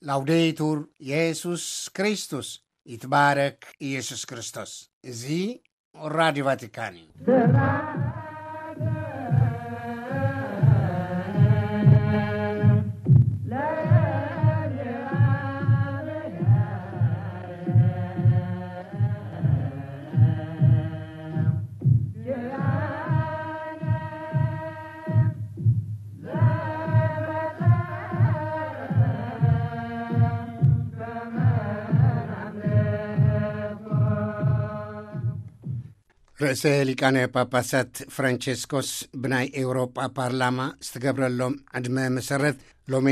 ላውዴቱር የሱስ ክርስቶስ፣ ይትባረክ ኢየሱስ ክርስቶስ። እዚ ራዲዮ ቫቲካን እዩ። ርእሰ ሊቃነ ጳጳሳት ፍራንቸስኮስ ብናይ ኤውሮጳ ፓርላማ ዝተገብረሎም ዕድመ መሰረት፣ ሎሚ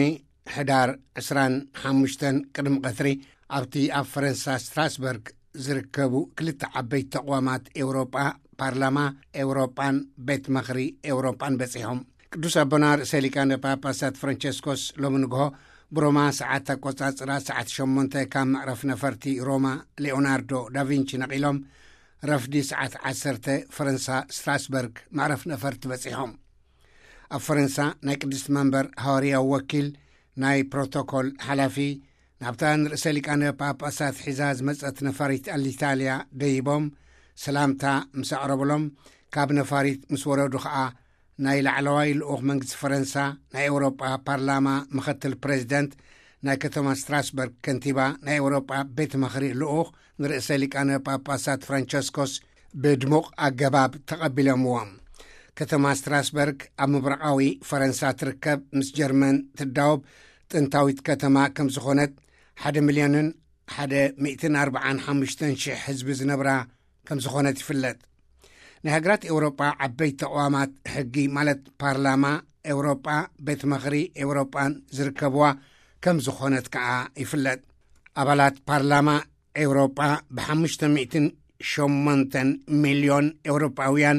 ሕዳር ዕስራን ሓሙሽተን ቅድሚ ቀትሪ ኣብቲ ኣብ ፈረንሳ ስትራስበርግ ዝርከቡ ክልተ ዓበይቲ ተቕዋማት ኤውሮጳ፣ ፓርላማ ኤውሮጳን ቤት ምኽሪ ኤውሮጳን በጺሖም። ቅዱስ ኣቦና ርእሰ ሊቃነ ጳጳሳት ፍራንቸስኮስ ሎሚ ንግሆ ብሮማ ሰዓት ኣቆጻጽራ ሰዓት ሸሞንተ ካብ መዕረፍ ነፈርቲ ሮማ ሌኦናርዶ ዳቪንቺ ነቒሎም፣ ረፍዲ ሰዓት ዓሰርተ ፈረንሳ ስትራስበርግ መዕረፍ ነፈርቲ በጺሖም። ኣብ ፈረንሳ ናይ ቅድስቲ መንበር ሃዋርያዊ ወኪል፣ ናይ ፕሮቶኮል ሓላፊ፣ ናብታ ንርእሰ ሊቃነ ጳጳሳት ሒዛ ዝመጸት ነፋሪት ኣሊታልያ ደይቦም ሰላምታ ምስ ኣቕረብሎም፣ ካብ ነፋሪት ምስ ወረዱ ኸኣ ናይ ላዕለዋይ ልኡኽ መንግስቲ ፈረንሳ፣ ናይ ኤውሮጳ ፓርላማ ምኽትል ፕሬዚደንት፣ ናይ ከተማ ስትራስበርግ ከንቲባ፣ ናይ ኤውሮጳ ቤት ምኽሪ ልኡኽ ንርእሰ ሊቃነ ጳጳሳት ፍራንቸስኮስ ብድሙቕ ኣገባብ ተቐቢሎምዎም። ከተማ ስትራስበርግ ኣብ ምብራቓዊ ፈረንሳ ትርከብ፣ ምስ ጀርመን ትዳወብ ጥንታዊት ከተማ ከም ዝኾነት፣ ሓደ ሚልዮንን ሓደ ሚእትን ኣርባዓን ሓሙሽተን ሽሕ ህዝቢ ዝነብራ ከም ዝኾነት ይፍለጥ። ናይ ሃገራት ኤውሮጳ ዓበይቲ ተቕዋማት ሕጊ፣ ማለት ፓርላማ ኤውሮጳ፣ ቤት ምኽሪ ኤውሮጳን ዝርከብዋ ከም ዝኾነት ከኣ ይፍለጥ። ኣባላት ፓርላማ ኤውሮጳ ብሓሙሽተ ሚእትን ሸሞንተን ሚልዮን ኤውሮጳውያን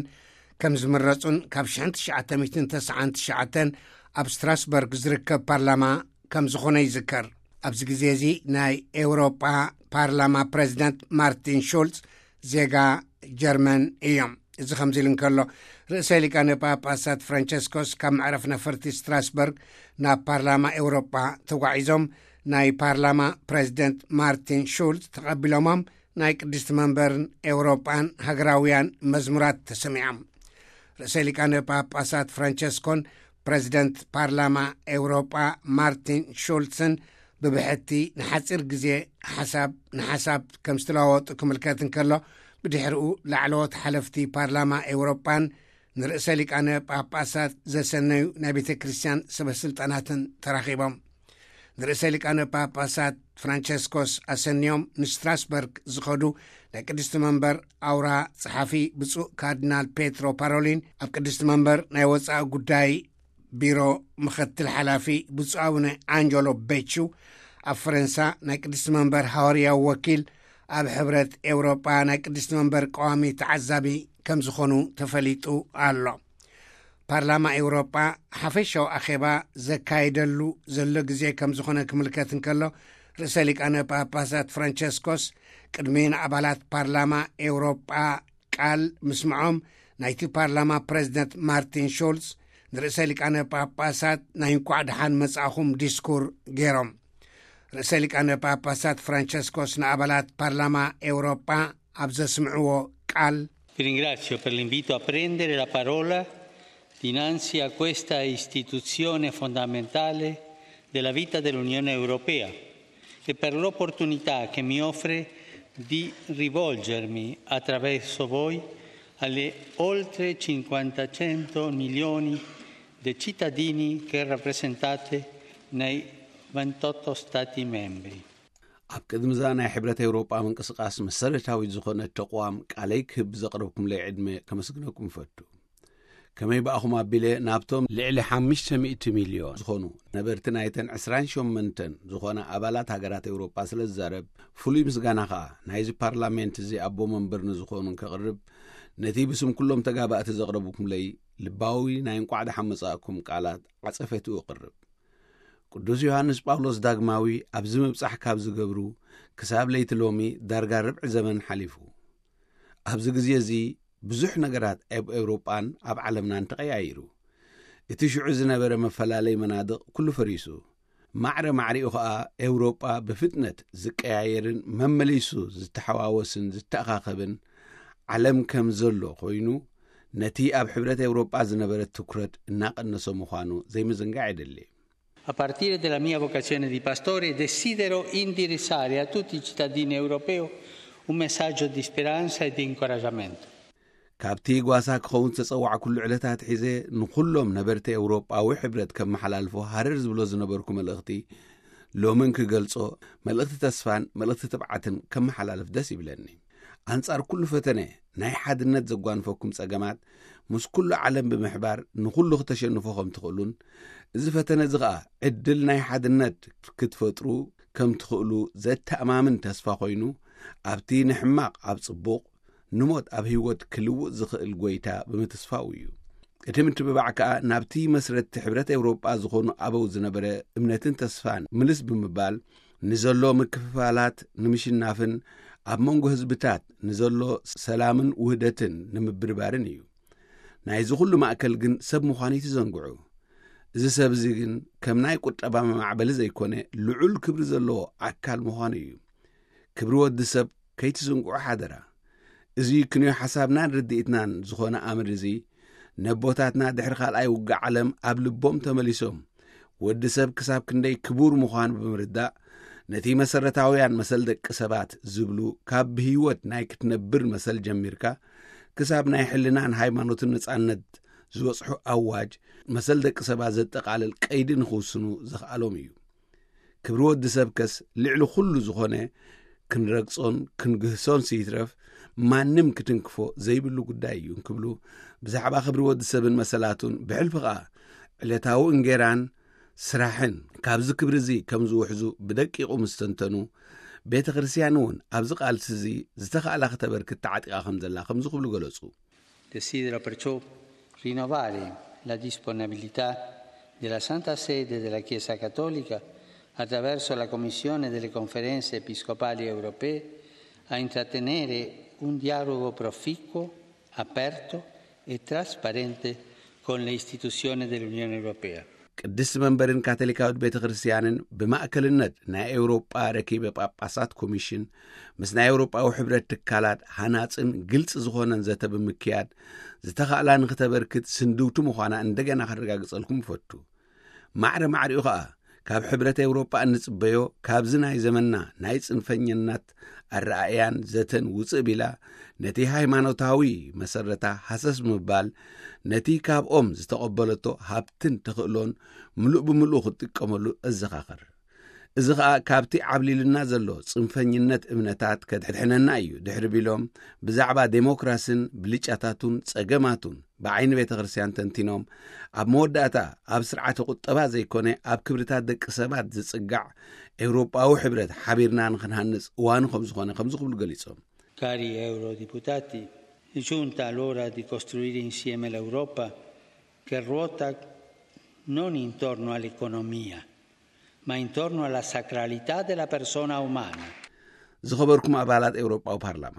ከም ዝምረጹን ካብ ሽሕን ትሽዓተ ሚእትን ተስዓን ትሽዓተን ኣብ ስትራስበርግ ዝርከብ ፓርላማ ከም ዝኾነ ይዝከር። ኣብዚ ግዜ እዚ ናይ ኤውሮጳ ፓርላማ ፕሬዚደንት ማርቲን ሹልዝ ዜጋ ጀርመን እዮም። እዚ ከምዚ ኢሉ እንከሎ፣ ርእሰ ሊቃነ ጳጳሳት ፍራንቸስኮስ ካብ መዕረፍ ነፈርቲ ስትራስበርግ ናብ ፓርላማ ኤውሮጳ ተጓዒዞም፣ ናይ ፓርላማ ፕሬዚደንት ማርቲን ሹልዝ ተቐቢሎሞም፣ ናይ ቅድስቲ መንበርን ኤውሮጳን ሃገራውያን መዝሙራት ተሰሚዖም። ርእሰ ሊቃነ ጳጳሳት ፍራንቸስኮን ፕሬዚደንት ፓርላማ ኤውሮጳ ማርቲን ሹልስን ብብሕቲ ንሓጺር ግዜ ሓሳብ ንሓሳብ ከም ዝተለዋወጡ ክምልከት እንከሎ፣ ብድሕሪኡ ላዕለዎት ሓለፍቲ ፓርላማ ኤውሮጳን ንርእሰ ሊቃነ ጳጳሳት ዘሰነዩ ናይ ቤተ ክርስቲያን ሰበ ስልጣናትን ተራኺቦም። ንርእሰ ሊቃነ ጳጳሳት ፍራንቸስኮስ ኣሰንዮም ንስትራስበርግ ዝኸዱ ናይ ቅድስቲ መንበር ኣውራ ጸሓፊ ብፁዕ ካርዲናል ፔትሮ ፓሮሊን፣ ኣብ ቅድስቲ መንበር ናይ ወጻኢ ጉዳይ ቢሮ ምኽትል ሓላፊ ብፁዕ ኣቡነ ኣንጀሎ ቤቹ፣ ኣብ ፈረንሳ ናይ ቅድስቲ መንበር ሃዋርያዊ ወኪል፣ ኣብ ሕብረት ኤውሮጳ ናይ ቅድስቲ መንበር ቀዋሚ ተዓዛቢ ከም ዝኾኑ ተፈሊጡ ኣሎ። ፓርላማ ኤውሮጳ ሓፈሻዊ ኣኼባ ዘካየደሉ ዘሎ ግዜ ከም ዝኾነ ክምልከት እንከሎ፣ ርእሰ ሊቃነ ጳጳሳት ፍራንቸስኮስ ቅድሚ ንኣባላት ፓርላማ ኤውሮጳ ቃል ምስምዖም፣ ናይቲ ፓርላማ ፕሬዚደንት ማርቲን ሹልዝ ንርእሰ ሊቃነ ጳጳሳት ናይ እንቋዕ ደሓን መጻእኹም ዲስኩር ገይሮም። ርእሰ ሊቃነ ጳጳሳት ፍራንቸስኮስ ንኣባላት ፓርላማ ኤውሮጳ ኣብ ዘስምዕዎ ቃል፣ Vi ringrazio per l'invito a prendere la parola dinanzi a questa istituzione fondamentale della vita dell'Unione Europea e per l'opportunità che mi offre di rivolgermi attraverso voi alle oltre cinquantacento milioni di cittadini che rappresentate nei ventotto Stati membri. ኣብ ቅድሚ እዛ ናይ ሕብረት ኤውሮጳ ምንቅስቃስ መሰረታዊት ዝኾነት ተቕዋም ቃለይ ክህብ ዘቕረብኩምለይ ዕድመ ከመስግነኩም እፈቱ። ከመይ ብኣኹም ኣቢለ ናብቶም ልዕሊ ሓሙሽተ ሚእቲ ሚልዮን ዝኾኑ ነበርቲ ናይተን ዕስራን ሸሞንተን ዝኾና ኣባላት ሃገራት ኤውሮጳ ስለ ዝዛረብ፣ ፍሉይ ምስጋና ኸኣ ናይዚ ፓርላሜንት እዚ ኣቦ መንበር ንዝኾኑን ከቕርብ፣ ነቲ ብስም ኩሎም ተጋባእቲ ዘቕረብኩምለይ ልባዊ ናይ እንቋዕ ደሓን መጻእኩም ቃላት ዓጸፈቱ እቕርብ። ቅዱስ ዮሃንስ ጳውሎስ ዳግማዊ ኣብዚ ምብጻሕ ካብ ዝገብሩ ክሳብ ለይቲ ሎሚ ዳርጋ ርብዒ ዘመን ሓሊፉ። ኣብዚ ግዜ እዚ ብዙሕ ነገራት ኣብ ኤውሮጳን ኣብ ዓለምናን ተቐያይሩ። እቲ ሽዑ ዝነበረ መፈላለይ መናድቕ ኩሉ ፈሪሱ። ማዕረ ማዕሪኡ ኸኣ ኤውሮጳ ብፍጥነት ዝቀያየርን መመሊሱ ዝተሓዋወስን ዝተኣኻኸብን ዓለም ከም ዘሎ ኮይኑ፣ ነቲ ኣብ ሕብረት ኤውሮጳ ዝነበረ ትኩረት እናቐነሰ ምዃኑ ዘይምዝንጋዕ የድሊ። A partire dalla mia vocazione di pastore, desidero indirizzare a tutti i cittadini europei un messaggio di speranza e di incoraggiamento. ካብቲ ጓሳ ክኸውን ዝተጸዋዕኩሉ ዕለታት ሒዘ፣ ንኹሎም ነበርቲ ኤውሮጳዊ ሕብረት ከመሓላልፎ ሃረር ዝብሎ ዝነበርኩ መልእኽቲ፣ ሎምን ክገልጾ፣ መልእኽቲ ተስፋን መልእኽቲ ትብዓትን ከመሓላልፍ ደስ ይብለኒ። ኣንጻር ኩሉ ፈተነ፣ ናይ ሓድነት ዘጓንፈኩም ጸገማት፣ ምስ ኩሉ ዓለም ብምሕባር ንኹሉ ክተሸንፎ ከም ትኽእሉን፣ እዚ ፈተነ እዚ ኸኣ ዕድል ናይ ሓድነት ክትፈጥሩ ከም ትኽእሉ ዘተኣማምን ተስፋ ኮይኑ፣ ኣብቲ ንሕማቕ ኣብ ጽቡቕ፣ ንሞት ኣብ ህይወት ክልውጥ ዝኽእል ጎይታ ብምትስፋው እዩ። እቲ ምትብባዕ ከኣ ናብቲ መስረትቲ ሕብረት ኤውሮጳ ዝኾኑ ኣበው ዝነበረ እምነትን ተስፋን ምልስ ብምባል፣ ንዘሎ ምክፍፋላት ንምሽናፍን ኣብ መንጎ ህዝብታት ንዘሎ ሰላምን ውህደትን ንምብርባርን እዩ። ናይዚ ኩሉ ማእከል ግን ሰብ ምዃኑ ይትዘንግዑ። እዚ ሰብ እዚ ግን ከም ናይ ቁጠባ መማዕበሊ ዘይኮነ፣ ልዑል ክብሪ ዘለዎ ኣካል ምዃኑ እዩ። ክብሪ ወዲ ሰብ ከይትዝንግዑ ሓደራ። እዚ ክንዮ ሓሳብናን ርድኢትናን ዝኾነ ኣምር እዚ፣ ነቦታትና ድሕሪ ካልኣይ ውግእ ዓለም ኣብ ልቦም ተመሊሶም፣ ወዲ ሰብ ክሳብ ክንደይ ክቡር ምዃኑ ብምርዳእ፣ ነቲ መሰረታውያን መሰል ደቂ ሰባት ዝብሉ፣ ካብ ብህይወት ናይ ክትነብር መሰል ጀሚርካ፣ ክሳብ ናይ ሕልናን ሃይማኖትን ነጻነት ዝበጽሑ ኣዋጅ፣ መሰል ደቂ ሰባት ዘጠቓልል ቀይዲ ንኽውስኑ ዘኽኣሎም እዩ። ክብሪ ወዲ ሰብ ከስ ልዕሊ ኩሉ ዝኾነ፣ ክንረግጾን ክንግህሶን ስይትረፍ ማንም ክትንክፎ ዘይብሉ ጉዳይ እዩ እንክብሉ፣ ብዛዕባ ክብሪ ወዲ ሰብን መሰላቱን፣ ብሕልፊ ኸኣ ዕለታዊ እንጌራን ስራሕን ካብዚ ክብሪ እዚ ከም ዝውሕዙ ብደቂቑ ምስ ተንተኑ፣ ቤተ ክርስቲያን እውን ኣብዚ ቃልሲ እዚ ዝተኻእላ ክተበርክት ተዓጢቓ ከም ዘላ ከምዚ ክብሉ ገለጹ። Desidero perciò rinnovare la disponibilità della Santa Sede e della Chiesa Cattolica, attraverso la Commissione delle Conferenze Episcopali Europee, a intrattenere un dialogo proficuo, aperto e trasparente con le istituzioni dell'Unione Europea. ቅድስቲ መንበርን ካቶሊካዊት ቤተ ክርስቲያንን፣ ብማእከልነት ናይ ኤውሮጳ ረኪበ ጳጳሳት ኮሚሽን፣ ምስ ናይ ኤውሮጳዊ ሕብረት ትካላት ሃናጽን ግልጺ ዝኾነን ዘተ ብምክያድ፣ ዝተኻእላ ንክተበርክት ስንድውቲ ምዃና እንደገና ከረጋግጸልኩም እፈቱ። ማዕረ ማዕሪኡ ኸኣ፣ ካብ ሕብረት ኤውሮጳ እንጽበዮ፣ ካብዚ ናይ ዘመንና ናይ ጽንፈኝነት ኣረኣእያን ዘተን ውጽእ ቢላ፣ ነቲ ሃይማኖታዊ መሰረታ ሃሰስ ብምባል፣ ነቲ ካብኦም ዝተቐበለቶ ሃብትን ተኽእሎን ምሉእ ብምሉእ ክትጥቀመሉ እዘኻኸር። እዚ ኸኣ ካብቲ ዓብሊልና ዘሎ ጽንፈኝነት እምነታት ከድሕነና እዩ፣ ድሕሪ ቢሎም፣ ብዛዕባ ዴሞክራስን ብልጫታቱን ጸገማቱን ብዓይኒ ቤተ ክርስቲያን ተንቲኖም፣ ኣብ መወዳእታ ኣብ ስርዓተ ቁጠባ ዘይኮነ ኣብ ክብርታት ደቂ ሰባት ዝጽጋዕ ኤውሮጳዊ ሕብረት ሓቢርና ንኽንሃንጽ እዋኑ ከም ዝኾነ ከምዚ ክብሉ ገሊጾም። Cari eurodeputati, è giunta l'ora di costruire insieme l'Europa che ruota non intorno all'economia, ma intorno alla sacralità della persona umana. ዝኸበርኩም ኣባላት ኤውሮጳዊ ፓርላማ፣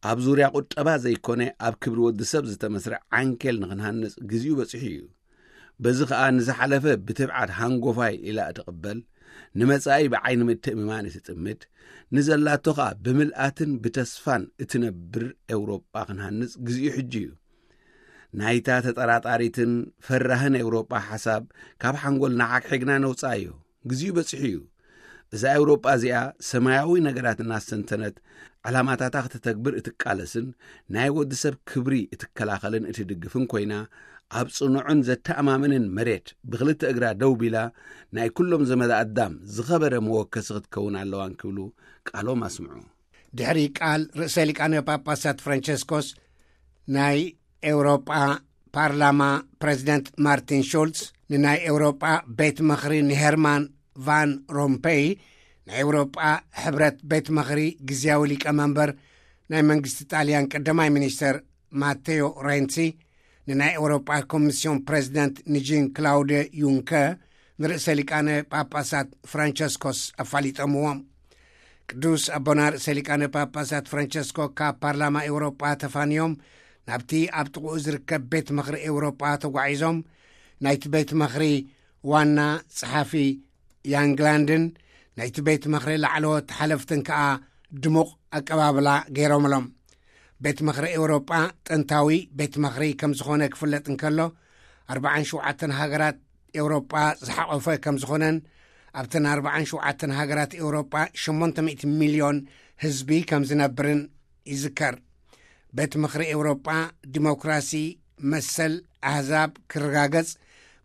ኣብ ዙርያ ቁጠባ ዘይኮነ ኣብ ክብሪ ወዲ ሰብ ዝተመስረ ዓንኬል ንኽንሃንጽ ግዜኡ በጺሑ እዩ። በዚ ኸኣ ንዝሓለፈ ብትብዓት ሃንጎፋይ ኢላ እትቕበል፣ ንመጻኢ ብዓይኒ ምትእምማን እትጥምት፣ ንዘላቶ ኸኣ ብምልኣትን ብተስፋን እትነብር ኤውሮጳ ክንሃንጽ ግዜኡ ሕጂ እዩ። ናይታ ተጠራጣሪትን ፈራህን ኤውሮጳ ሓሳብ ካብ ሓንጎልና ሓግሒግና ነውጽኣዮ። ግዜኡ በጺሑ እዩ። እዛ ኤውሮጳ እዚኣ ሰማያዊ ነገራት እናስተንተነት፣ ዕላማታታ ክተተግብር እትቃለስን ናይ ወዲ ሰብ ክብሪ እትከላኸልን እትድግፍን ኮይና፣ ኣብ ጽኑዕን ዘተኣማምንን መሬት ብኽልተ እግራ ደው ቢላ፣ ናይ ኩሎም ዘመደ ኣዳም ዝኸበረ መወከሲ ክትከውን ኣለዋን ክብሉ ቃሎም ኣስምዑ። ድሕሪ ቃል ርእሰ ሊቃነ ጳጳሳት ፍራንቸስኮስ፣ ናይ ኤውሮጳ ፓርላማ ፕረዚደንት ማርቲን ሹልስ ንናይ ኤውሮጳ ቤት ምኽሪ ንሄርማን ቫን ሮምፔይ፣ ናይ ኤውሮጳ ሕብረት ቤት ምኽሪ ግዝያዊ ሊቀመንበር ናይ መንግስቲ ጣልያን ቀዳማይ ሚኒስተር ማቴዮ ሬንሲ፣ ንናይ ኤውሮጳ ኮሚስዮን ፕረዚደንት ንጂን ክላውደ ዩንከር ንርእሰ ሊቃነ ጳጳሳት ፍራንቸስኮስ ኣፋሊጦምዎም። ቅዱስ ኣቦና ርእሰ ሊቃነ ጳጳሳት ፍራንቸስኮ ካብ ፓርላማ ኤውሮጳ ተፋንዮም ናብቲ ኣብ ጥቕኡ ዝርከብ ቤት ምኽሪ ኤውሮጳ ተጓዒዞም፣ ናይቲ ቤት ምኽሪ ዋና ጸሓፊ ያንግላንድን ናይቲ ቤት ምኽሪ ላዕለዎት ሓለፍትን ከኣ ድሙቕ ኣቀባብላ ገይሮምሎም። ቤት ምኽሪ ኤውሮጳ ጥንታዊ ቤት ምኽሪ ከም ዝኾነ ክፍለጥ እንከሎ፣ ኣርባዓን ሸውዓተን ሃገራት ኤውሮጳ ዝሓቖፈ ከም ዝኾነን ኣብተን ኣርባዓን ሸውዓተን ሃገራት ኤውሮጳ ሸሞንተ ሚእቲ ሚልዮን ህዝቢ ከም ዝነብርን ይዝከር። ቤት ምኽሪ ኤውሮጳ ዲሞክራሲ፣ መሰል ኣህዛብ ክረጋገጽ፣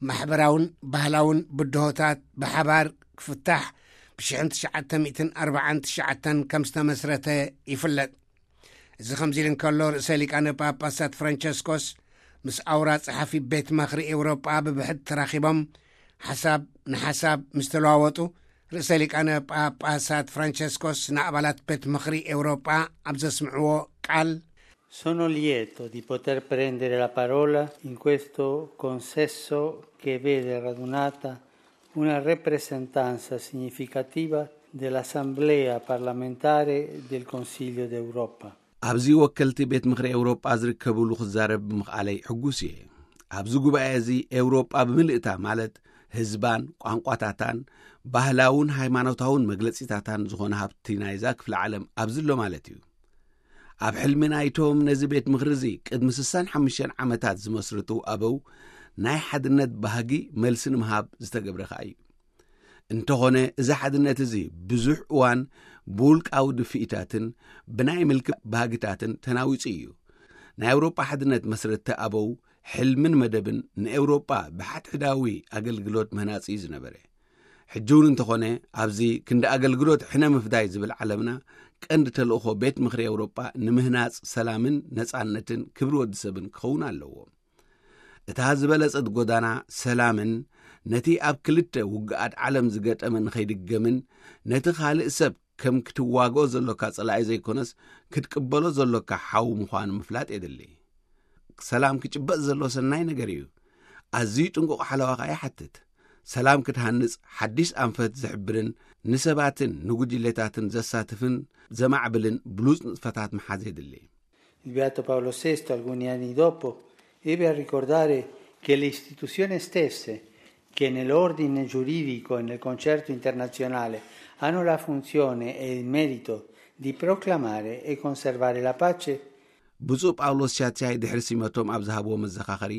ማሕበራውን ባህላውን ብድሆታት ብሓባር ክፍታሕ ብሽሕን ትሽዓተ ሚእትን ኣርባዓን ትሽዓተን ከም ዝተመስረተ ይፍለጥ። እዚ ከምዚ ኢሉ እንከሎ፣ ርእሰ ሊቃነ ጳጳሳት ፍራንቸስኮስ ምስ ኣውራ ጸሓፊ ቤት ምኽሪ ኤውሮጳ ብብሕት ተራኺቦም ሓሳብ ንሓሳብ ምስ ተለዋወጡ፣ ርእሰ ሊቃነ ጳጳሳት ፍራንቸስኮስ ንኣባላት ቤት ምኽሪ ኤውሮጳ ኣብ ዘስምዕዎ ቃል፣ Sono lieto di poter prendere la parola in questo consesso che vede radunata una rappresentanza significativa dell'Assemblea parlamentare del Consiglio d'Europa. ኣብዚ ወከልቲ ቤት ምኽሪ ኤውሮጳ ዝርከብሉ ክዛረብ ብምኽኣለይ ሕጉስ እየ። ኣብዚ ጉባኤ እዚ ኤውሮጳ ብምልእታ፣ ማለት ህዝባን ቋንቋታታን ባህላውን ሃይማኖታውን መግለጺታታን ዝኾነ ሃብቲ ናይዛ ክፍለ ዓለም ኣብዚ ኣሎ ማለት እዩ። ኣብ ሕልሚ ናይቶም ነዚ ቤት ምኽሪ እዚ ቅድሚ ስሳን ሓሙሽተን ዓመታት ዝመስርቱ ኣበው ናይ ሓድነት ባህጊ መልሲ ንምሃብ ዝተገብረ ከኣ እዩ። እንተኾነ፣ እዚ ሓድነት እዚ ብዙሕ እዋን ብውልቃዊ ድፍኢታትን ብናይ ምልኪ ባህግታትን ተናዊጹ እዩ። ናይ ኣውሮጳ ሓድነት መስረትቲ ኣበው ሕልምን መደብን ንኤውሮጳ ብሓድሕዳዊ ኣገልግሎት ምህናጽ እዩ ዝነበረ። ሕጂ እውን እንተኾነ፣ ኣብዚ ክንዲ ኣገልግሎት ሕነ ምፍዳይ ዝብል ዓለምና ቀንዲ ተልእኾ ቤት ምኽሪ ኤውሮጳ ንምህናጽ ሰላምን ነጻነትን ክብሪ ወዲ ሰብን ክኸውን ኣለዎ። እታ ዝበለጸት ጎዳና ሰላምን ነቲ ኣብ ክልተ ውግኣት ዓለም ዝገጠመ ንኸይድገምን ነቲ ካልእ ሰብ ከም ክትዋግኦ ዘሎካ ጸላኢ ዘይኮነስ ክትቅበሎ ዘሎካ ሓው ምዃኑ ምፍላጥ የድሊ። ሰላም ክጭበጥ ዘሎ ሰናይ ነገር እዩ። ኣዝዩ ጥንቁቕ ሓለዋ ከኣ ይሓትት። ሰላም ክትሃንጽ ሓድሽ ኣንፈት ዝሕብርን ንሰባትን ንጉጅሌታትን ዘሳትፍን ዘማዕብልን ብሉጽ ንጥፈታት ምሓዝ የድሊ። Il Beato Paolo sesto, alcuni anni dopo, ebbe a ricordare che le istituzioni stesse, che nell'ordine giuridico e nel concerto internazionale, hanno la funzione e il merito di proclamare e conservare la pace, ብፁዕ ጳውሎስ ሻቻይ ድሕሪ ሲመቶም ኣብ ዝሃብዎ መዘኻኸሪ፣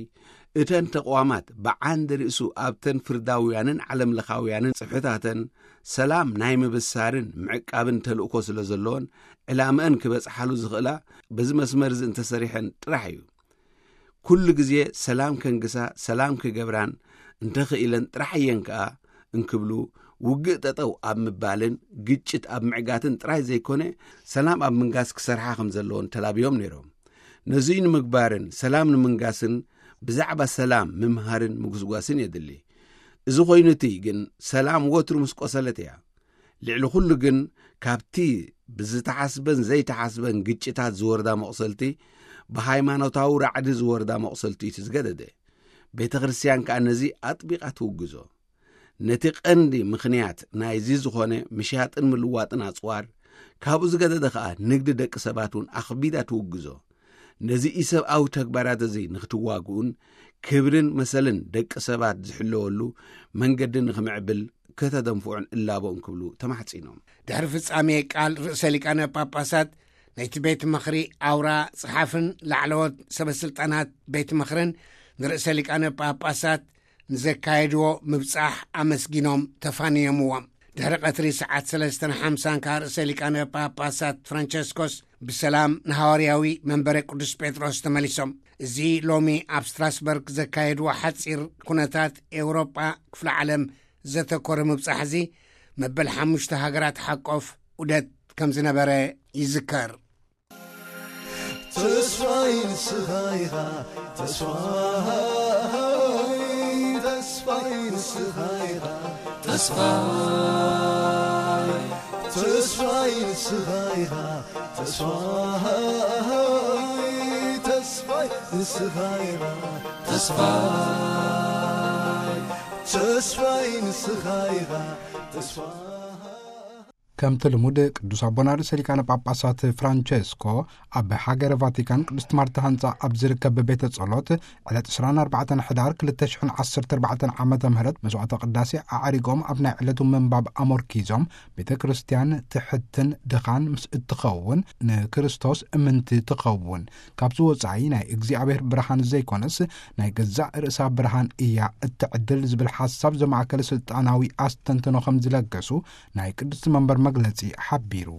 እተን ተቕዋማት ብዓንዲ ርእሱ ኣብተን ፍርዳውያንን ዓለምለኻውያንን ጽፍሕታተን ሰላም ናይ ምብሳርን ምዕቃብን ተልእኮ ስለ ዘለዎን፣ ዕላምአን ክበጽሓሉ ዝኽእላ በዚ መስመር እዚ እንተሰሪሐን ጥራሕ እዩ። ኩሉ ግዜ ሰላም ከንግሳ፣ ሰላም ክገብራን እንተኽኢለን ጥራሕ እየን ከኣ እንክብሉ፣ ውግእ ጠጠው ኣብ ምባልን ግጭት ኣብ ምዕጋትን ጥራይ ዘይኮነ፣ ሰላም ኣብ ምንጋስ ክሰርሓ ከም ዘለዎን ተላብዮም ነይሮም። ነዙይ ንምግባርን ሰላም ንምንጋስን ብዛዕባ ሰላም ምምሃርን ምጉስጓስን የድሊ። እዚ ኮይኑ እቲ ግን ሰላም ወትሩ ምስ ቆሰለት እያ። ልዕሊ ኩሉ ግን ካብቲ ብዝተሓስበን ዘይተሓስበን ግጭታት ዝወርዳ መቑሰልቲ፣ ብሃይማኖታዊ ራዕዲ ዝወርዳ መቑሰልቲ እዩ ዝገደደ። ቤተ ክርስቲያን ከኣ ነዚ ኣጥቢቓ ትውግዞ። ነቲ ቀንዲ ምኽንያት ናይዚ ዝኾነ ምሻጥን ምልዋጥን ኣጽዋር፣ ካብኡ ዝገደደ ከኣ ንግዲ ደቂ ሰባት እውን ኣኽቢዳ ትውግዞ። ነዚ ኢሰብኣዊ ተግባራት እዚ ንክትዋግኡን ክብርን መሰልን ደቂ ሰባት ዝሕለወሉ መንገዲ ንክምዕብል ከተደንፍዑን እላቦ እንክብሉ ተማሕጺኖም። ድሕሪ ፍጻሜ ቃል ርእሰ ሊቃነ ጳጳሳት፣ ናይቲ ቤት ምኽሪ ኣውራ ጸሓፍን ላዕለዎት ሰበስልጣናት ቤት ምኽርን ንርእሰ ሊቃነ ጳጳሳት ንዘካየድዎ ምብጻሕ ኣመስጊኖም ተፋንዮምዎም። ድሕሪ ቀትሪ ሰዓት ሰለስተን ሓምሳን ከኣ ርእሰ ሊቃነ ጳጳሳት ፍራንቸስኮስ ብሰላም ንሃዋርያዊ መንበረ ቅዱስ ጴጥሮስ ተመሊሶም። እዚ ሎሚ ኣብ ስትራስበርግ ዘካየድዎ ሓጺር ኩነታት ኤውሮጳ ክፍለ ዓለም ዘተኮረ ምብጻሕ እዚ መበል ሓሙሽተ ሃገራት ሓቆፍ ዑደት ከም ዝነበረ ይዝከር። ተስፋይ ንስኻ ኢኻ ተስፋይ ተስፋይ ንስኻ ኢኻ ተስፋይ ተስፋይ ንስኻ ኢኻ ተስፋይ ተስፋይ ንስኻ ኢኻ ተስፋይ ተስፋይ ንስኻ ኢኻ ተስፋይ ከምቲ ልሙድ፣ ቅዱስ ኣቦና ርእሰ ሊቃነ ጳጳሳት ፍራንቸስኮ ኣብ ሃገረ ቫቲካን ቅድስት ማርታ ህንጻ ኣብ ዝርከብ ቤተ ጸሎት ዕለት ዕስራን ኣርባዕተን ሕዳር ክልተ ሽሕን ዓሰርተ ኣርባዕተን ዓመተ ምህረት መስዋዕተ ቅዳሴ ኣዕሪጎም፣ ኣብ ናይ ዕለቱ ምንባብ ኣሞርኪዞም፣ ቤተ ክርስቲያን ትሕትን ድኻን ምስ እትኸውን፣ ንክርስቶስ እምንቲ ትኸውን። ካብዚ ወጻኢ፣ ናይ እግዚኣብሔር ብርሃን ዘይኮነስ፣ ናይ ገዛእ ርእሳ ብርሃን እያ እትዕድል ዝብል ሓሳብ ዘማእከለ ስልጣናዊ ኣስተንትኖ ከም ዝለገሱ ናይ ቅድስቲ መንበር መግለጺ ሓቢሩ።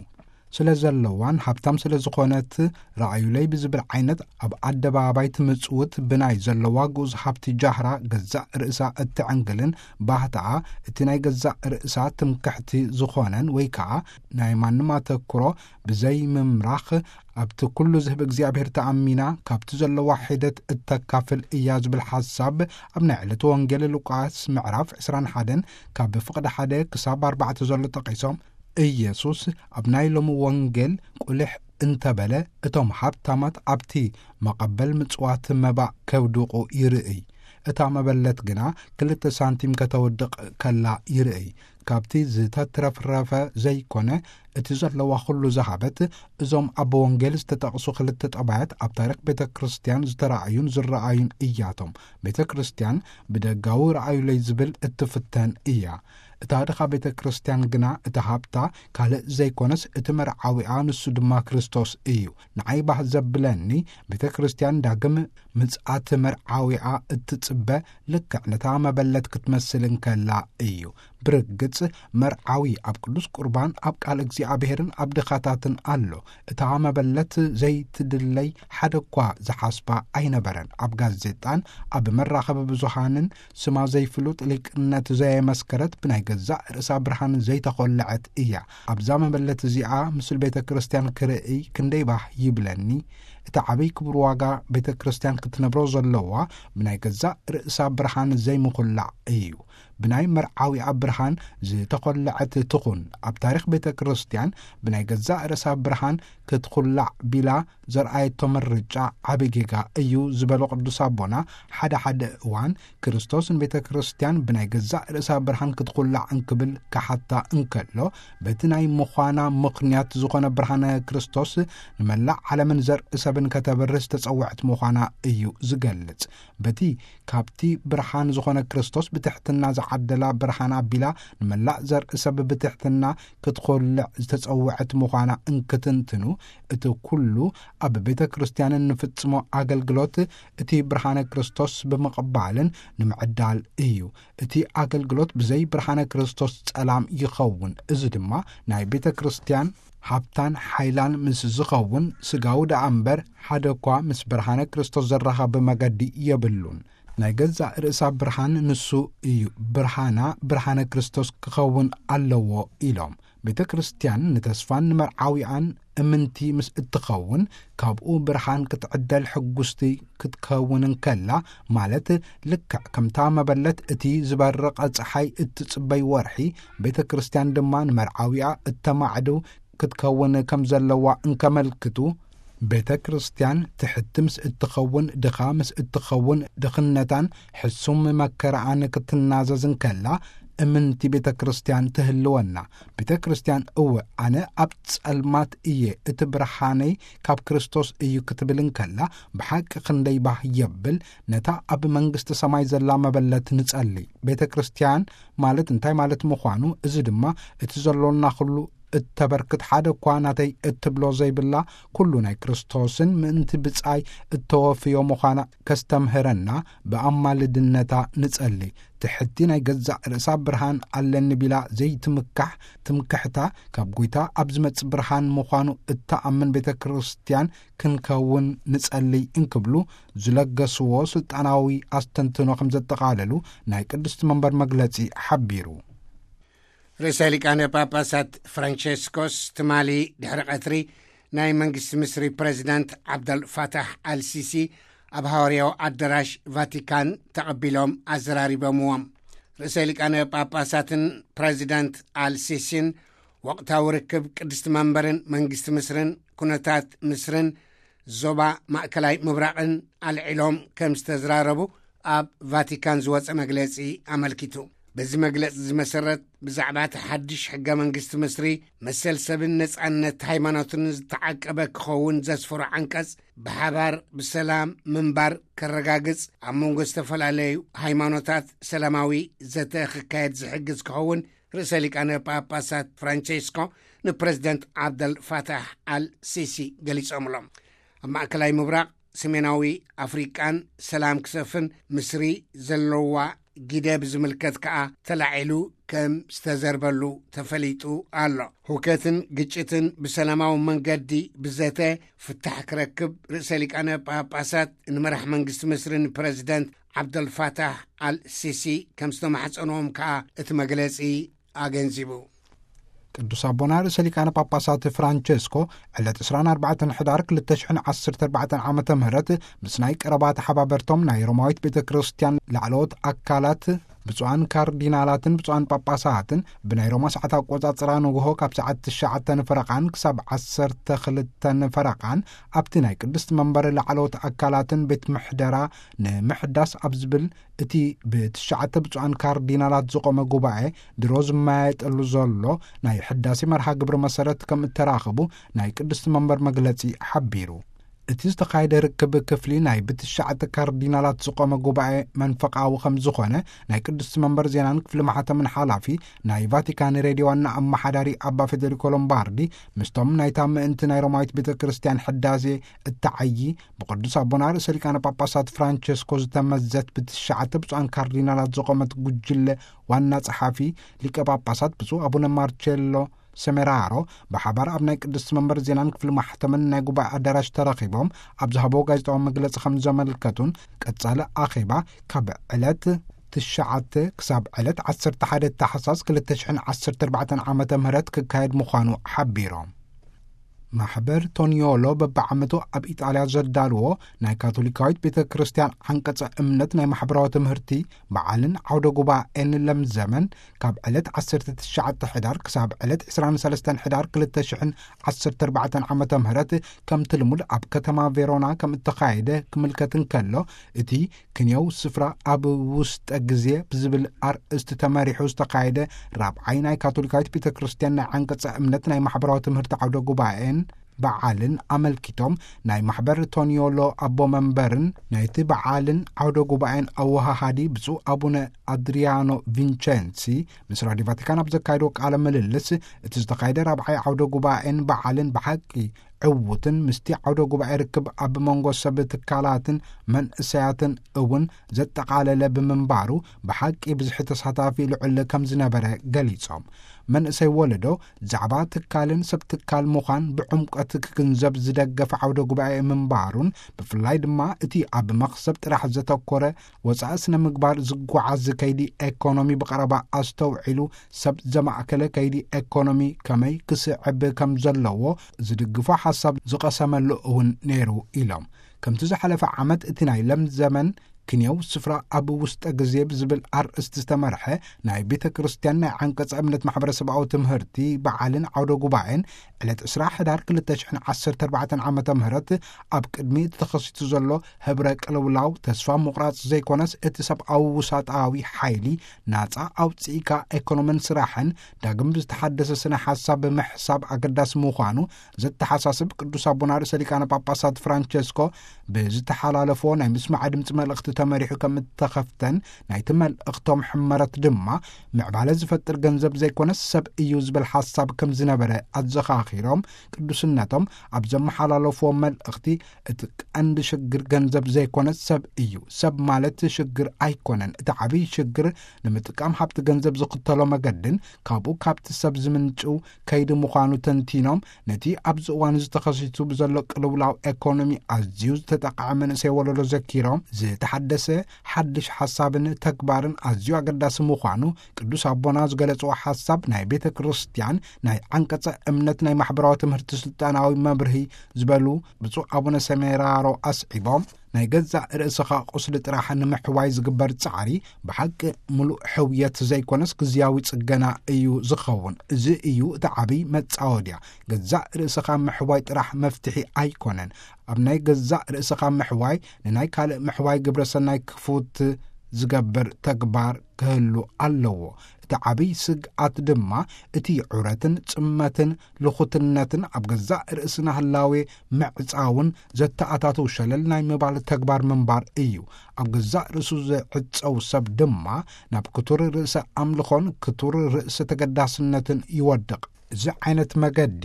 ስለ ዘለዋን ሃብታም ስለ ዝኾነት፣ ረኣዩለይ ብዝብል ዓይነት ኣብ ኣደባባይ ትምጽውት፣ ብናይ ዘለዋ ግኡዝ ሃብቲ ጃህራ ገዛእ ርእሳ እትዕንግልን፣ ባህታኣ እቲ ናይ ገዛእ ርእሳ ትምክሕቲ ዝኾነን፣ ወይ ከኣ ናይ ማንም ኣተኩሮ ብዘይ ምምራኽ፣ ኣብቲ ኩሉ ዝህብ እግዚኣብሔር ተኣሚና፣ ካብቲ ዘለዋ ሒደት እተካፍል እያ ዝብል ሓሳብ ኣብ ናይ ዕለቱ ወንጌል ሉቃስ ምዕራፍ ዕስራን ሓደን ካብ ፍቕዲ ሓደ ክሳብ ኣርባዕተ ዘሎ ጠቒሶም፣ ኢየሱስ ኣብ ናይ ሎሚ ወንጌል ቁልሕ እንተበለ፣ እቶም ሃብታማት ኣብቲ መቐበል ምጽዋት መባእ ከውድቑ ይርእይ። እታ መበለት ግና ክልተ ሳንቲም ከተውድቕ ከላ ይርእይ። ካብቲ ዝተትረፍረፈ ዘይኮነ፣ እቲ ዘለዋ ኩሉ ዝሃበት። እዞም ኣብ ወንጌል ዝተጠቕሱ ክልተ ጠባያት ኣብ ታሪኽ ቤተ ክርስቲያን ዝተራእዩን ዝረኣዩን እያቶም። ቤተ ክርስቲያን ብደጋዊ ረኣዩለይ ዝብል እትፍተን እያ። እታ ድኻ ቤተ ክርስቲያን ግና፣ እቲ ሃብታ ካልእ ዘይኮነስ፣ እቲ መርዓዊኣ፣ ንሱ ድማ ክርስቶስ እዩ። ንዓይ ባህ ዘብለኒ፣ ቤተ ክርስቲያን ዳግም ምጽኣት መርዓዊኣ እትጽበ፣ ልክዕ ነታ መበለት ክትመስል እንከላ እዩ። ብርግጽ፣ መርዓዊ ኣብ ቅዱስ ቁርባን፣ ኣብ ቃል እግዚኣብሔርን ኣብ ድኻታትን ኣሎ። እታ መበለት ዘይትድለይ ሓደ እኳ ዝሓስባ ኣይነበረን። ኣብ ጋዜጣን ኣብ መራኸቢ ብዙሃንን ስማ ዘይፍሉጥ ሊቅነት ዘየመስከረት፣ ብናይ ገዛእ ርእሳ ብርሃን ዘይተኾለዐት እያ። ኣብዛ መበለት እዚኣ ምስል ቤተ ክርስቲያን ክርእይ ክንደይ ባህ ይብለኒ። እቲ ዓብይ ክቡር ዋጋ ቤተ ክርስቲያን ክትነብሮ ዘለዋ ብናይ ገዛእ ርእሳ ብርሃን ዘይምኹላዕ እዩ። ብናይ መርዓዊኣ ብርሃን ዝተኾለዐት ትኹን። ኣብ ታሪኽ ቤተ ክርስቲያን ብናይ ገዛእ ርእሳ ብርሃን ክትኹላዕ ቢላ ዘርኣየቶ ምርጫ ዓቢ ጌጋ እዩ ዝበሉ ቅዱስ ኣቦና፣ ሓደ ሓደ እዋን ክርስቶስ ንቤተ ክርስቲያን ብናይ ገዛእ ርእሳ ብርሃን ክትኹላዕ እንክብል ክሓታ እንከሎ፣ በቲ ናይ ምዃና ምኽንያት ዝኾነ ብርሃነ ክርስቶስ ንመላእ ዓለምን ዘርኢ ሰብን ከተብርህ ዝተጸውዐት ምዃና እዩ ዝገልጽ። በቲ ካብቲ ብርሃን ዝኾነ ክርስቶስ ብትሕትና ዝዓደላ ብርሃን ኣቢላ ንመላእ ዘርኢ ሰብ ብትሕትና ክትኾልዕ ዝተጸውዐት ምዃና እንክትንትኑ፣ እቲ ኩሉ ኣብ ቤተ ክርስቲያንን ንፍጽሞ ኣገልግሎት እቲ ብርሃነ ክርስቶስ ብምቕባልን ንምዕዳል እዩ። እቲ ኣገልግሎት ብዘይ ብርሃነ ክርስቶስ ጸላም ይኸውን። እዚ ድማ ናይ ቤተ ክርስቲያን ሃብታን ሓይላን ምስ ዝኸውን፣ ስጋዊ ደኣ እምበር ሓደ እኳ ምስ ብርሃነ ክርስቶስ ዘራኸብ መገዲ የብሉን። ናይ ገዛእ ርእሳ ብርሃን ንሱ እዩ። ብርሃና ብርሃነ ክርስቶስ ክኸውን ኣለዎ ኢሎም። ቤተ ክርስቲያን ንተስፋን ንመርዓዊኣን እምንቲ ምስ እትኸውን፣ ካብኡ ብርሃን ክትዕደል ሕጉስቲ ክትከውን እንከላ፣ ማለት ልክዕ ከምታ መበለት እቲ ዝበርቕ ጸሓይ እትጽበይ ወርሒ፣ ቤተ ክርስቲያን ድማ ንመርዓዊኣ እተማዕድው ክትከውን ከም ዘለዋ እንከመልክቱ፣ ቤተ ክርስቲያን ትሕቲ ምስ እትኸውን፣ ድኻ ምስ እትኸውን፣ ድኽነታን ሕሱም መከራኣን ክትናዘዝ እንከላ፣ እምንቲ ቤተ ክርስቲያን ትህልወና። ቤተ ክርስቲያን፣ "እወ፣ ኣነ ኣብ ጸልማት እየ፣ እቲ ብርሃነይ ካብ ክርስቶስ እዩ" ክትብል እንከላ፣ ብሓቂ ክንደይ ባህ የብል። ነታ ኣብ መንግስቲ ሰማይ ዘላ መበለት ንጸሊ። ቤተ ክርስቲያን ማለት እንታይ ማለት ምዃኑ፣ እዚ ድማ እቲ ዘሎና ኩሉ እተበርክት፣ ሓደ እኳ ናተይ እትብሎ ዘይብላ፣ ኩሉ ናይ ክርስቶስን ምእንቲ ብጻይ እተወፍዮ ምዃና ከስተምህረና ብኣማልድነታ ንጸሊ። ትሕቲ ናይ ገዛእ ርእሳ ብርሃን ኣለኒ ቢላ ዘይትምካሕ ትምክሕታ፣ ካብ ጐይታ ኣብ ዝመጽእ ብርሃን ምዃኑ እተኣምን ቤተ ክርስቲያን ክንከውን ንጸሊ እንክብሉ ዝለገስዎ ስልጣናዊ ኣስተንትኖ ከም ዘጠቓለሉ ናይ ቅድስቲ መንበር መግለጺ ሓቢሩ። ርእሰ ሊቃነ ጳጳሳት ፍራንቸስኮስ ትማሊ ድሕሪ ቀትሪ ናይ መንግስቲ ምስሪ ፕረዚዳንት ዓብደል ፋታሕ ኣልሲሲ ኣብ ሃዋርያዊ ኣዳራሽ ቫቲካን ተቐቢሎም ኣዘራሪቦምዎም። ርእሰ ሊቃነ ጳጳሳትን ፕረዚዳንት ኣልሲሲን ወቕታዊ ርክብ ቅድስቲ መንበርን መንግስቲ ምስርን፣ ኩነታት ምስርን ዞባ ማእከላይ ምብራቕን ኣልዒሎም ከም ዝተዝራረቡ ኣብ ቫቲካን ዝወጸ መግለጺ ኣመልኪቱ። በዚ መግለጺ እዚ መሰረት፣ ብዛዕባ እቲ ሓድሽ ሕገ መንግስቲ ምስሪ፣ መሰል ሰብን ነጻነት ሃይማኖትን ዝተዓቀበ ክኸውን ዘስፈሮ ዓንቀጽ፣ ብሓባር ብሰላም ምንባር ከረጋግጽ፣ ኣብ መንጎ ዝተፈላለዩ ሃይማኖታት ሰላማዊ ዘተ ክካየድ ዝሕግዝ ክኸውን፣ ርእሰ ሊቃነ ጳጳሳት ፍራንቸስኮ ንፕረዚደንት ዓብደል ፋታሕ ኣል ሲሲ ገሊጾምሎም። ኣብ ማእከላይ ምብራቕ፣ ሰሜናዊ ኣፍሪቃን ሰላም ክሰፍን ምስሪ ዘለዋ ግደ ብዝምልከት ከኣ ተላዒሉ ከም ዝተዘርበሉ ተፈሊጡ ኣሎ። ሁከትን ግጭትን ብሰላማዊ መንገዲ ብዘተ ፍታሕ ክረክብ ርእሰ ሊቃነ ጳጳሳት ንመራሕ መንግስቲ ምስርን ፕረዚደንት ዓብደልፋታሕ ኣል ሲሲ ከም ዝተማሕጸንዎም ከኣ እቲ መግለጺ ኣገንዚቡ። ቅዱስ ኣቦና ርእሰ ሊቃነ ጳጳሳት ፍራንቸስኮ ዕለት ዕስራን ኣርባዕተን ሕዳር ክልተ ሽሕን ዓሰርተ ኣርባዕተን ዓመተ ምህረት ምስ ናይ ቀረባ ተሓባበርቶም ናይ ሮማዊት ቤተ ክርስቲያን ላዕለዎት ኣካላት ብፁዓን ካርዲናላትን ብፁዓን ጳጳሳትን ብናይ ሮማ ሰዓት ኣቆጻጽራ ንግሆ ካብ ሰዓት ትሽዓተ ንፈረቓን ክሳብ ዓሰርተ ክልተ ንፈረቓን ኣብቲ ናይ ቅድስቲ መንበር ላዕለዎት ኣካላትን ቤት ምሕደራ ንምሕዳስ ኣብ ዝብል እቲ ብትሽዓተ ብፁዓን ካርዲናላት ዝቖመ ጉባኤ ድሮ ዝመያየጠሉ ዘሎ ናይ ሕዳሴ መርሃ ግብሪ መሰረት ከም እተራኽቡ ናይ ቅድስቲ መንበር መግለጺ ሓቢሩ። እቲ ዝተኻየደ ርክብ ክፍሊ ናይ ብትሽዓተ ካርዲናላት ዝቖመ ጉባኤ መንፈቓዊ ከም ዝኾነ ናይ ቅድስቲ መንበር ዜናን ክፍሊ ማሕተምን ሓላፊ ናይ ቫቲካን ሬድዮ ዋና ኣመሓዳሪ ኣባ ፌደሪኮ ሎምባርዲ ምስቶም ናይታ ምእንቲ ናይ ሮማዊት ቤተ ክርስቲያን ሕዳሴ እተዓዪ ብቅዱስ ኣቦና ርእሰ ሊቃነ ጳጳሳት ፍራንቸስኮ ዝተመዘት ብትሽዓተ ብፁዓን ካርዲናላት ዝቖመት ጉጅለ ዋና ጸሓፊ ሊቀ ጳጳሳት ብፁዕ ኣቡነ ማርቸሎ ሰሜራሮ ብሓባር ኣብ ናይ ቅድስቲ መንበር ዜናን ክፍሊ ማሕተምን ናይ ጉባኤ ኣዳራሽ ተረኺቦም ኣብ ዝሃቦ ጋዜጣዊ መግለጺ ከም ዘመልከቱን ቀጻሊ ኣኼባ ካብ ዕለት ትሽዓተ ክሳብ ዕለት ዓሰርተ ሓደ ታሕሳስ ክልተ ሽሕን ዓሰርተ ኣርባዕተን ዓመተ ምህረት ክካየድ ምዃኑ ሓቢሮም። ማሕበር ቶኒዮሎ በብዓመቱ ኣብ ኢጣልያ ዘዳልዎ ናይ ካቶሊካዊት ቤተ ክርስቲያን ዓንቀጸ እምነት ናይ ማሕበራዊ ትምህርቲ በዓልን ዓውደ ጉባኤን ለምዘመን ካብ ዕለት ዓሰርተ ትሽዓተ ሕዳር ክሳብ ዕለት ዕስራን ሰለስተን ሕዳር ክልተ ሽሕን ዓሰርተ ኣርባዕተን ዓመተ ምህረት ከምቲ ልሙድ ኣብ ከተማ ቬሮና ከም እተኻየደ ክምልከት እንከሎ፣ እቲ ክንየው ስፍራ ኣብ ውስጠ ግዜ ብዝብል ኣርእስቲ ተመሪሑ ዝተኻየደ ራብዓይ ናይ ካቶሊካዊት ቤተ ክርስቲያን ናይ ዓንቀጸ እምነት ናይ ማሕበራዊ ትምህርቲ ዓውደ ጉባኤን በዓልን ኣመልኪቶም ናይ ማሕበር ቶኒዮሎ ኣቦ መንበርን ናይቲ በዓልን ዓውደ ጉባኤን ኣወሃሃዲ ብፁዕ ኣቡነ ኣድሪያኖ ቪንቸንሲ ምስ ራዲዮ ቫቲካን ኣብ ዘካየድዎ ቃለ ምልልስ፣ እቲ ዝተኻየደ ራብዓይ ዓውደ ጉባኤን በዓልን ብሓቂ ዕዉትን ምስቲ ዓውደ ጉባኤ ርክብ ኣብ መንጎ ሰብ ትካላትን መንእሰያትን እውን ዘጠቓለለ ብምንባሩ ብሓቂ ብዝሒ ተሳታፊ ልዑል ከም ዝነበረ ገሊጾም። መንእሰይ ወለዶ ዛዕባ ትካልን ሰብ ትካል ምዃን ብዕምቀት ክግንዘብ ዝደገፈ ዓውደ ጉባኤ ምንባሩን ብፍላይ ድማ እቲ ኣብ መኽሰብ ጥራሕ ዘተኮረ ወጻኢ ስነ ምግባር ዝጓዓዝ ከይዲ ኤኮኖሚ ብቐረባ ኣስተውዒሉ ሰብ ዘማእከለ ከይዲ ኤኮኖሚ ከመይ ክስዕብ ከም ዘለዎ ዝድግፎ ሓሳብ ዝቐሰመሉ እውን ነይሩ ኢሎም። ከምቲ ዝሓለፈ ዓመት እቲ ናይ ለምዘመን ክንየው ስፍራ ኣብ ውስጠ ግዜ ብዝብል ኣርእስቲ ዝተመርሐ ናይ ቤተ ክርስቲያን ናይ ዓንቀጸ እምነት ማሕበረሰባዊ ትምህርቲ በዓልን ዓውደ ጉባኤን ዕለት ዕስራ ሕዳር ክልተ ሽሕን ዓሰርተ ኣርባዕተን ዓመተ ምህረት ኣብ ቅድሚ እቲ ተኸሲቱ ዘሎ ህብረ ቅልውላው ተስፋ ምቑራጽ ዘይኮነስ እቲ ሰብኣዊ ውሳጣዊ ሓይሊ ናጻ ኣውጽኢካ ኤኮኖምን ስራሕን ዳግም ብዝተሓደሰ ስነ ሓሳብ ብምሕሳብ ኣገዳሲ ምዃኑ ዘተሓሳስብ ቅዱስ ኣቦና ርእሰ ሊቃነ ጳጳሳት ፍራንቸስኮ ብዝተሓላለፎ ናይ ምስማዕ ድምፂ መልእኽቲ ተመሪሑ ከም እተኸፍተን ናይቲ መልእኽቶም ሕመረት ድማ ምዕባለ ዝፈጥር ገንዘብ ዘይኮነስ ሰብ እዩ ዝብል ሓሳብ ከም ዝነበረ ኣዘኻኺሮም ቅዱስነቶም ኣብ ዘመሓላለፍዎ መልእኽቲ እቲ ቀንዲ ሽግር ገንዘብ ዘይኮነስ ሰብ እዩ። ሰብ ማለት ሽግር ኣይኮነን። እቲ ዓብዪ ሽግር ንምጥቃም ሃብቲ ገንዘብ ዝኽተሎ መገድን ካብኡ ካብቲ ሰብ ዝምንጭው ከይዲ ምዃኑ ተንቲኖም፣ ነቲ ኣብዚ እዋን እዚ ተኸሲቱ ብዘሎ ቅልውላው ኤኮኖሚ ኣዝዩ ዝተጠቕዐ መንእሰይ ወለዶ ዘኪሮም፣ ዝተሓደሰ ሓድሽ ሓሳብን ተግባርን ኣዝዩ ኣገዳሲ ምዃኑ ቅዱስ ኣቦና ዝገለጽዎ ሓሳብ ናይ ቤተ ክርስቲያን ናይ ዓንቀጸ እምነት ናይ ማሕበራዊ ትምህርቲ ስልጣናዊ መብርሂ ዝበሉ ብፁዕ ኣቡነ ሰሜራሮ ኣስዒቦም፣ ናይ ገዛእ ርእስኻ ቁስሊ ጥራሕ ንምሕዋይ ዝግበር ጻዕሪ ብሓቂ ምሉእ ሕውየት ዘይኮነስ ግዝያዊ ጽገና እዩ ዝኸውን። እዚ እዩ እቲ ዓብዪ መጻወድያ። ገዛእ ርእስኻ ምሕዋይ ጥራሕ መፍትሒ ኣይኮነን። ኣብ ናይ ገዛእ ርእስኻ ምሕዋይ ንናይ ካልእ ምሕዋይ ግብረ ሰናይ ክፉት ዝገብር ተግባር ክህሉ ኣለዎ። እቲ ዓብይ ስግኣት ድማ እቲ ዑረትን ጽመትን ልኹትነትን ኣብ ገዛእ ርእስና ህላዌ ምዕጻውን ዘተኣታተው ሸለል ናይ ምባል ተግባር ምንባር እዩ። ኣብ ገዛእ ርእሱ ዝዕጸው ሰብ ድማ ናብ ክቱር ርእሰ ኣምልኾን ክቱር ርእሰ ተገዳስነትን ይወድቕ። እዚ ዓይነት መገዲ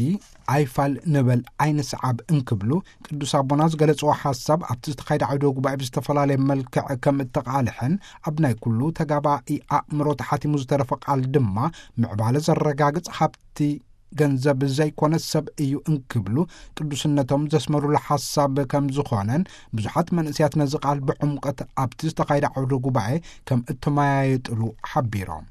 ኣይፋል ንበል ኣይንስዓብ እንክብሉ ቅዱስ ኣቦና ዝገለጽዎ ሓሳብ ኣብቲ ዝተኻየደ ዓውደ ጉባኤ ብዝተፈላለየ መልክዕ ከም እተቓልሐን ኣብ ናይ ኩሉ ተጋባኢ ኣእምሮ ተሓቲሙ ዝተረፈ ቃል ድማ ምዕባለ ዘረጋግጽ ሃብቲ ገንዘብ ዘይኮነ ሰብ እዩ እንክብሉ ቅዱስነቶም ዘስመሩሉ ሓሳብ ከም ዝኾነን ብዙሓት መንእስያት ነዚ ቃል ብዕምቀት ኣብቲ ዝተኻየደ ዓውደ ጉባኤ ከም እተመያየጥሉ ሓቢሮም።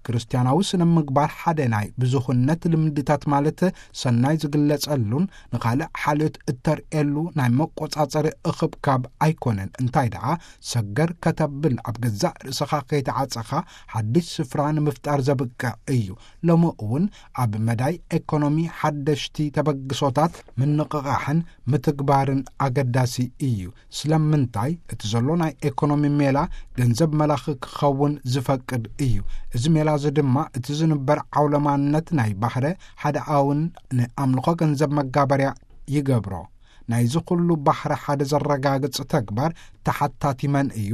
ክርስትያናዊ ስነ ምግባር ሓደ ናይ ብዙኽነት ልምድታት ማለት ሰናይ ዝግለጸሉን ንኻልእ ሓልዮት እተርእየሉ ናይ መቆጻጸሪ እኽብካብ ኣይኮነን። እንታይ ደኣ ሰገር ከተብል ኣብ ገዛእ ርእስኻ ከይተዓጸኻ ሓድሽ ስፍራ ንምፍጣር ዘብቅዕ እዩ። ሎሚ እውን ኣብ መዳይ ኤኮኖሚ ሓደሽቲ ተበግሶታት ምንቕቓሕን ምትግባርን ኣገዳሲ እዩ። ስለምንታይ እቲ ዘሎ ናይ ኤኮኖሚ ሜላ ገንዘብ መላኺ ክኸውን ዝፈቅድ እዩ። እዚ ሜላ እዚ ድማ እቲ ዝንበር ዓውለማነት ናይ ባህረ ሓደ ኣውን ንኣምልኾ ገንዘብ መጋበርያ ይገብሮ። ናይዚ ኩሉ ባህረ ሓደ ዘረጋግጽ ተግባር ተሓታቲ መን እዩ?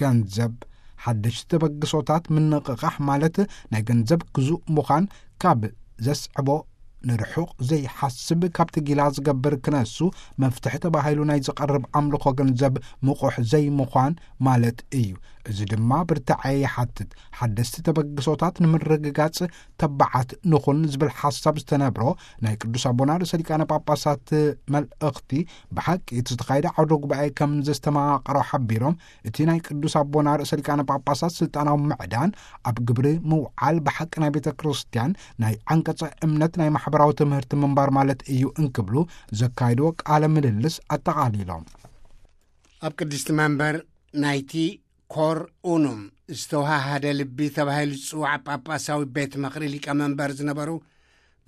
ገንዘብ። ሓደሽቲ ተበግሶታት ምንቕቓሕ ማለት ናይ ገንዘብ ግዙእ ምዃን ካብ ዘስዕቦ ንርሑቕ ዘይሓስብ ካብቲ ጊላ ዝገብር ክነሱ መፍትሒ ተባሂሉ ናይ ዝቐርብ ኣምልኾ ገንዘብ ምቑሕ ዘይምዃን ማለት እዩ። እዚ ድማ ብርታዐ ይሓትት። ሓደስቲ ተበግሶታት ንምርግጋጽ ተባዓት ንኹን ዝብል ሓሳብ ዝተነብሮ ናይ ቅዱስ ኣቦና ርእሰ ሊቃነ ጳጳሳት መልእኽቲ ብሓቂ እቲ ዝተኻየደ ዓውደ ጉባኤ ከም ዘስተማቐሮ ሓቢሮም፣ እቲ ናይ ቅዱስ ኣቦና ርእሰ ሊቃነ ጳጳሳት ስልጣናዊ ምዕዳን ኣብ ግብሪ ምውዓል ብሓቂ ናይ ቤተ ክርስቲያን ናይ ዓንቀጸ እምነት ናይ ማሕበራዊ ትምህርቲ ምንባር ማለት እዩ እንክብሉ ዘካይድዎ ቃለ ምልልስ ኣጠቓሊሎም። ኣብ ቅድስቲ መንበር ናይቲ ኮር ኡኑም ዝተዋሃሃደ ልቢ ተባሂሉ ዝጽዋዕ ጳጳሳዊ ቤት ምኽሪ ሊቀመንበር ዝነበሩ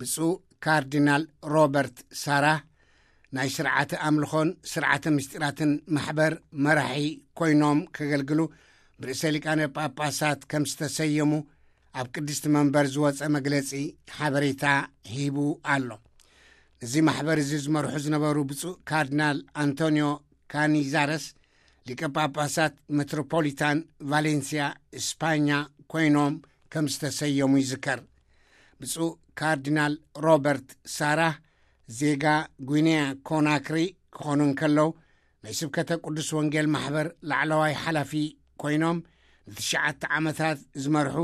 ብፁዕ ካርዲናል ሮበርት ሳራህ ናይ ስርዓተ ኣምልኾን ስርዓተ ምስጢራትን ማሕበር መራሒ ኮይኖም ከገልግሉ ብርእሰ ሊቃነ ጳጳሳት ከም ዝተሰየሙ ኣብ ቅድስቲ መንበር ዝወጸ መግለጺ ሓበሬታ ሂቡ ኣሎ። ነዚ ማሕበር እዚ ዝመርሑ ዝነበሩ ብፁዕ ካርዲናል ኣንቶኒዮ ካኒዛረስ ሊቀ ጳጳሳት ሜትሮፖሊታን ቫሌንሲያ ስፓኛ ኮይኖም ከም ዝተሰየሙ ይዝከር። ብፁዕ ካርዲናል ሮበርት ሳራህ ዜጋ ጒኒያ ኮናክሪ ክኾኑ እንከለዉ ናይ ስብከተ ቅዱስ ወንጌል ማሕበር ላዕለዋይ ሓላፊ ኮይኖም ንትሽዓተ ዓመታት ዝመርሑ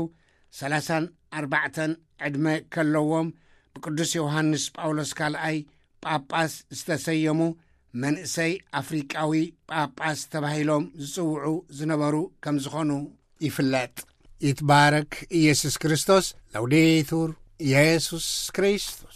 ሰላሳን ኣርባዕተን ዕድመ ከለዎም ብቅዱስ ዮሃንስ ጳውሎስ ካልኣይ ጳጳስ ዝተሰየሙ መንእሰይ ኣፍሪቃዊ ጳጳስ ተባሂሎም ዝጽውዑ ዝነበሩ ከም ዝኾኑ ይፍለጥ። ይትባረክ ኢየሱስ ክርስቶስ። ለውዴቱር ኢየሱስ ክርስቶስ።